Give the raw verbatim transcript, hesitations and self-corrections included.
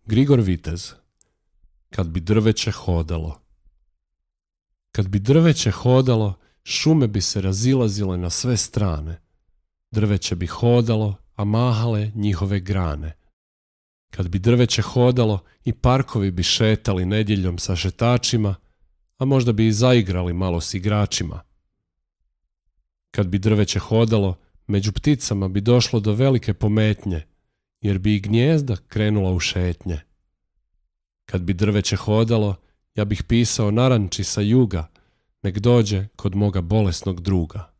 Grigor Vitez. Kad bi drveće hodalo. Kad bi drveće hodalo, šume bi se razilazile na sve strane. Drveće bi hodalo, a mahale njihove grane. Kad bi drveće hodalo, i parkovi bi šetali nedjeljom sa šetačima, a možda bi i zaigrali malo s igračima. Kad bi drveće hodalo, među pticama bi došlo do velike pometnje, jer bi i gnijezda krenula u šetnje. Kad bi drveće hodalo, ja bih pisao naranči sa juga, nek dođe kod moga bolesnog druga.